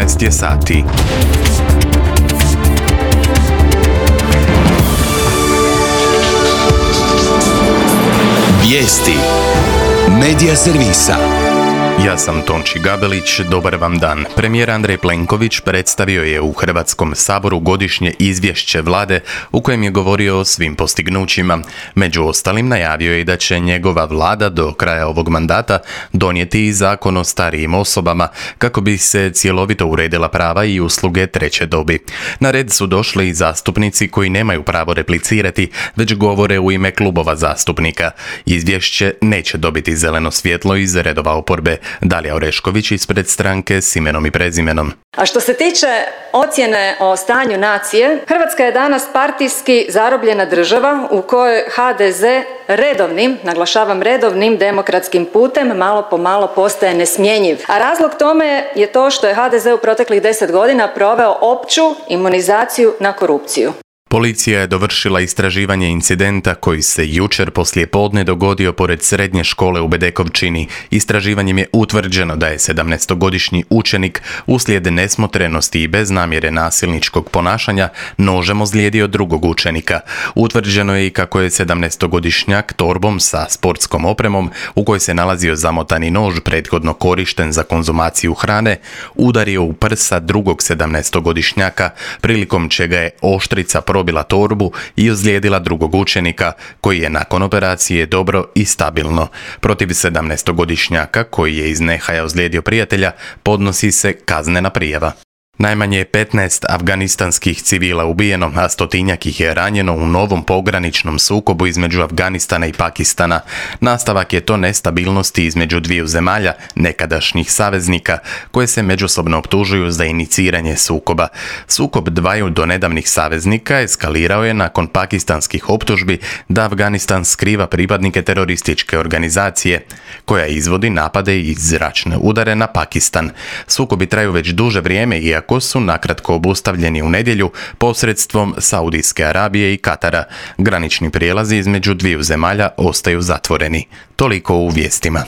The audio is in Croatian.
14 je sati. Vijesti Medija servisa. Ja sam Tonči Gabelić, dobar vam dan. Premijer Andrej Plenković predstavio je u Hrvatskom saboru godišnje izvješće vlade u kojem je govorio o svim postignućima. Među ostalim najavio je da će njegova vlada do kraja ovog mandata donijeti i zakon o starijim osobama kako bi se cjelovito uredila prava i usluge treće dobi. Na red su došli i zastupnici koji nemaju pravo replicirati, već govore u ime klubova zastupnika. Izvješće neće dobiti zeleno svjetlo iz redova oporbe. Dalija Orešković ispred stranke S imenom i prezimenom. A što se tiče ocjene o stanju nacije, Hrvatska je danas partijski zarobljena država u kojoj HDZ redovnim, naglašavam redovnim demokratskim putem malo po malo postaje nesmjenjiv. A razlog tome je to što je HDZ u proteklih 10 godina proveo opću imunizaciju na korupciju. Policija je dovršila istraživanje incidenta koji se jučer poslijepodne dogodio pored srednje škole u Bedekovčini. Istraživanjem je utvrđeno da je 17-godišnji učenik uslijed nesmotrenosti i bez namjere nasilničkog ponašanja nožem ozlijedio drugog učenika. Utvrđeno je i kako je 17-godišnjak torbom sa sportskom opremom u kojoj se nalazio zamotani nož prethodno korišten za konzumaciju hrane udario u prsa drugog 17-godišnjaka prilikom čega je oštrica probila torbu i ozlijedila drugog učenika, koji je nakon operacije dobro i stabilno. Protiv 17-godišnjaka, koji je iz nehaja ozlijedio prijatelja, podnosi se kaznena prijava. Najmanje je 15 afganistanskih civila ubijeno, a 100-tinjak ih je ranjeno u novom pograničnom sukobu između Afganistana i Pakistana. Nastavak je to nestabilnosti između dviju zemalja, nekadašnjih saveznika, koje se međusobno optužuju za iniciranje sukoba. Sukob dvaju donedavnih saveznika eskalirao je nakon pakistanskih optužbi da Afganistan skriva pripadnike terorističke organizacije, koja izvodi napade i zračne udare na Pakistan. Sukobi traju već duže vrijeme, iako su nakratko obustavljeni u nedjelju posredstvom Saudijske Arabije i Katara. Granični prijelazi između dviju zemalja ostaju zatvoreni. Toliko u vijestima.